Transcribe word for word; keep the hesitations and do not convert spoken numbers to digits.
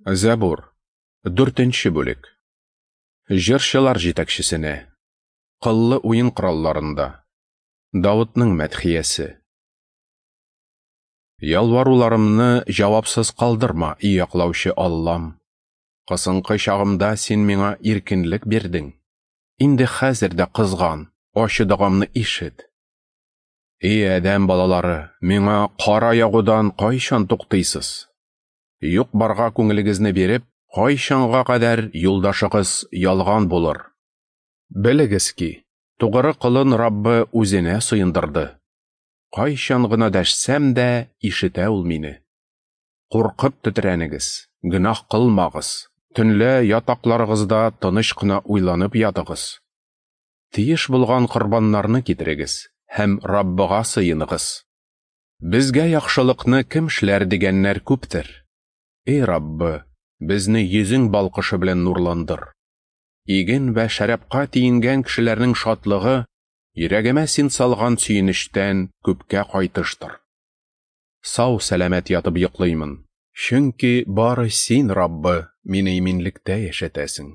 Зәбур, дүртенче бүлек. Җырчылар җитәкчесенә. Кыллы уен коралларында. Давытның мәдхиясе. Ялваруларымны җавапсыз калдырма, и яклаучы Аллам. Кысынкы чагымда син миңа иркенлек бирдең. Инде хәзер дә кызган, ачы догамны ишет. И адәм балалары, миңа кара ягудан кайчан туктыйсыз? Юк-барга күңелегезне биреп, кайчанга кадәр юлдашыгыз ялган булыр? Белегез ки, тугры колын Раббы үзенә сыендырды. Кайчан гына дәшсәм дә, ишетә ул мине. Куркып тетрәнегез, гөнаһ кылмагыз, төнлә ятакларыгызда тыныч кына уйланып ятыгыз. Тиеш булган корбаннарны китерегез һәм Раббыга сыеныгыз. Безгә яхшылыкны кем эшләр дигәннәр күптер. Эй Раббы, безне йөзең балкышы белән нурландыр. Иген вә шәрабка тиенгән кешеләрнең шатлыгы йөрәгемә син салган сөенечтән күпкә кайтыштыр. Сау сәламәт ятып йоклыймын, чөнки бары син, Раббы, мине иминлектә яшәтәсең.